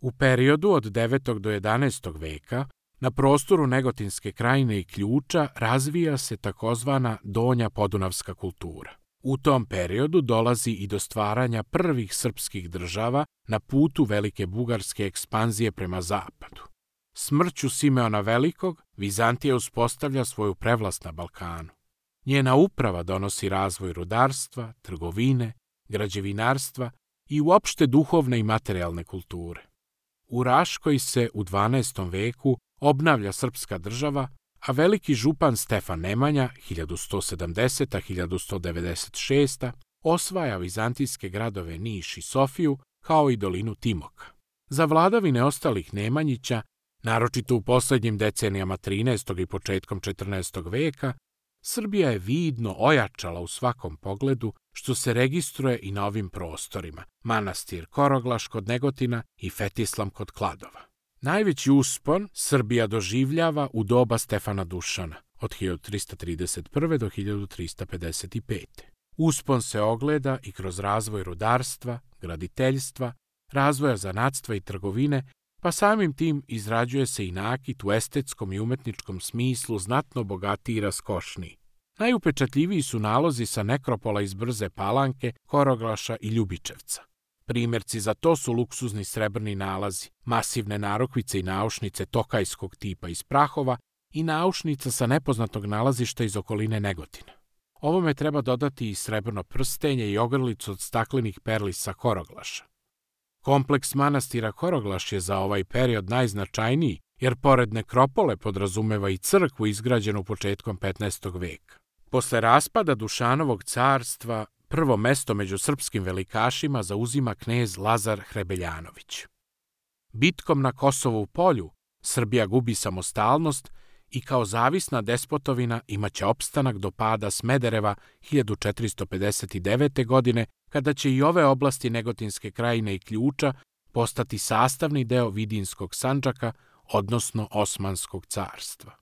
U periodu od 9. do 11. veka na prostoru Negotinske krajine i Ključa razvija se takozvana Donja podunavska kultura. U tom periodu dolazi i do stvaranja prvih srpskih država na putu Velike bugarske ekspanzije prema zapadu. Smrću Simeona Velikog, Vizantija uspostavlja svoju prevlast na Balkanu. Njena uprava donosi razvoj rudarstva, trgovine, građevinarstva i uopšte duhovne i materijalne kulture. U Raškoj se u 12. veku obnavlja srpska država, a veliki župan Stefan Nemanja 1170-1196 osvaja vizantijske gradove Niš i Sofiju, kao i dolinu Timoka. Za vladavine ostalih Nemanjića, naročito u poslednjim decenijama 13. i početkom 14. veka, Srbija je vidno ojačala u svakom pogledu, što se registruje i na ovim prostorima, manastir Koroglaš kod Negotina i Fetislam kod Kladova. Najveći uspon Srbija doživljava u doba Stefana Dušana, od 1331. do 1355. Uspon se ogleda i kroz razvoj rudarstva, graditeljstva, razvoja zanatstva i trgovine, pa samim tim izrađuje se i nakit u estetskom i umetničkom smislu znatno bogatiji i raskošniji. Najupečatljiviji su nalozi sa nekropola iz Brze Palanke, Koroglaša i Ljubičevca. Primjerci za to su luksuzni srebrni nalazi, masivne narukvice i naušnice tokajskog tipa iz Prahova i naušnica sa nepoznatog nalazišta iz okoline Negotina. Ovome treba dodati i srebrno prstenje i ogrlicu od staklenih perli sa Koroglaša. Kompleks manastira Koroglaš je za ovaj period najznačajniji, jer pored nekropole podrazumeva i crkvu izgrađenu početkom 15. veka. Posle raspada Dušanovog carstva, prvo mesto među srpskim velikašima zauzima knez Lazar Hrebeljanović. Bitkom na Kosovu polju Srbija gubi samostalnost i kao zavisna despotovina imaće opstanak do pada Smedereva 1459. godine, kada će i ove oblasti Negotinske krajine i Ključa postati sastavni deo Vidinskog Sandžaka, odnosno Osmanskog carstva.